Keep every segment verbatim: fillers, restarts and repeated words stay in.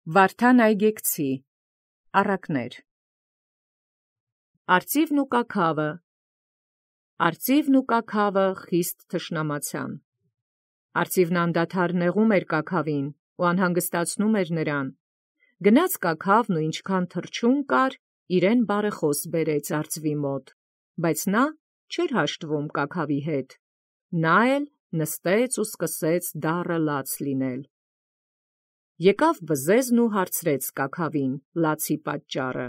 Վարդան այգեկցի առակներ։ Արծիվն ու կաքավը Արծիվն ու կաքավը խիստ թշնամացան։ Արծիվն անդադար նեղում էր կաքավին ու անհանգստացնում էր նրան։ Գնաց կաքավն ու ինչքան թռչուն կար, իրեն բարեխաւս բերեց արծվի մոտ, բայց նա չէր հաշտվում կաքավի հետ։ Նա էլ նստեց ու սկսեց դառը լաց լինել։ Եկավ բզեզն ու հարցրեց կաքավին լացի պատճառը։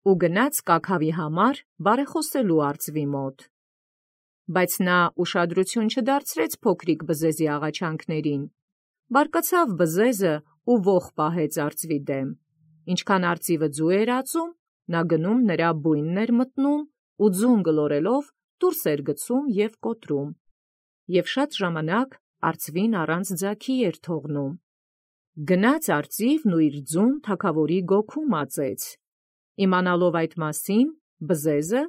Ու գնաց կաքավի համար բարեխոսելու արծվի մոտ։ Բայց նա ուշադրություն չդարձրեց փոքրիկ բզեզի աղաչանքներին։ Բարկացավ բզեզը ու ոխ պահեց արծվի դեմ։ Ինչքան արծիվը ձու էր ածում, նա գնում նրա բույնն էր մտնում ու ձուն գլորելով դուրս էր գցում և կոտրում, և շատ ժամանակ արծվին առանց ձագի էր թողնում։ Գնաց արծիվն ու իր ձուն թագավորի գոգու մածեց։ Իմանալով այդ մասին, բզեզը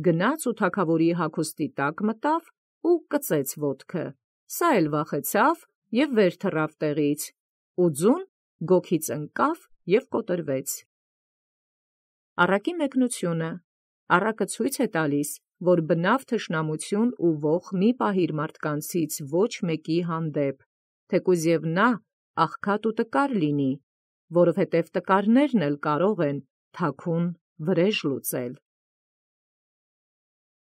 գնաց ու թագավորի հագուստի տակ մտավ ու կծեց ոտքը, սա էլ վախեցավ և վեր թռավ տեղից, ու ձուն գոգից ընկավ և կոտրվեց։ Առակի մեկնությունը առակը ցույց է տալիս, որ բնավ թշնամություն ու ոխ մի պահիր մարդկանցից ոչ մեկի հանդեպ, թեկուզ և նա աղքատ ու տկար լինի, որովհետև տկարներն էլ կարող են թաքուն վրեժ լուծել։